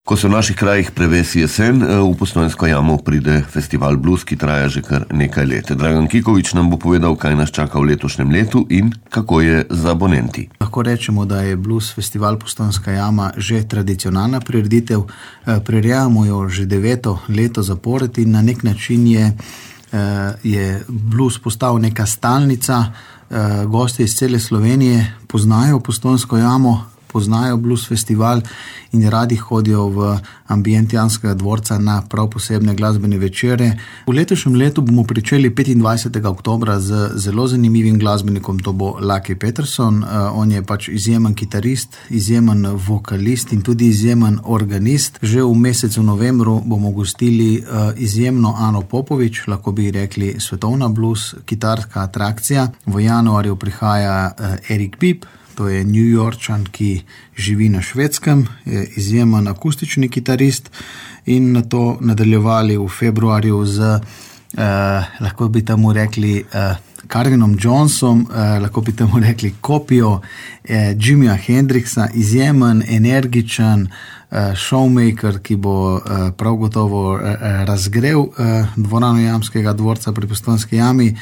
Ko se v naših krajih prevesi jesen, v Postojnsko jamo pride festival Blues, ki traja že kar nekaj let. Dragan Kikovič nam bo povedal, kaj nas čaka v letošnjem letu in kako je z abonenti. Lahko rečemo, da je Blues festival Postojnska jama že tradicionalna prireditev. Prirejamo jo že 9. leto zapored in na nek način je blues postal neka stalnica. Gostje iz cele Slovenije poznajo Postojnsko jamo, poznajo blues festival in radi hodijo v ambient Janskega dvorca na prav posebne glasbene večere. V letošnjem letu bomo pričeli 25. oktobra z zelo zanimivim glasbenikom, to bo Lucky Peterson. On je pač izjemen kitarist, izjemen vokalist in tudi izjemen organist. Že v mesecu novembru bomo gostili izjemno Ano Popovič, lahko bi rekli svetovna blues kitarska atrakcija. V januarju prihaja Eric Bibb. To je New Yorkčan, ki živi na Švedskem, je izjemen akustični kitarist in na to nadaljevali v februarju z, lahko bi temu rekli, Carvinom Johnsom, lahko bi temu rekli kopijo Jimija Hendrixa, izjemen, energičen showmaker, ki bo prav gotovo razgrel dvorano Jamskega dvorca pri Postojnski jami.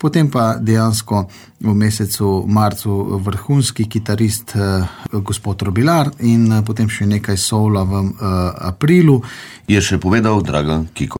Potem pa dejansko v mesecu marcu vrhunski kitarist gospod Robilar in potem še nekaj soula v aprilu. Je še povedal Dragan Kikovič.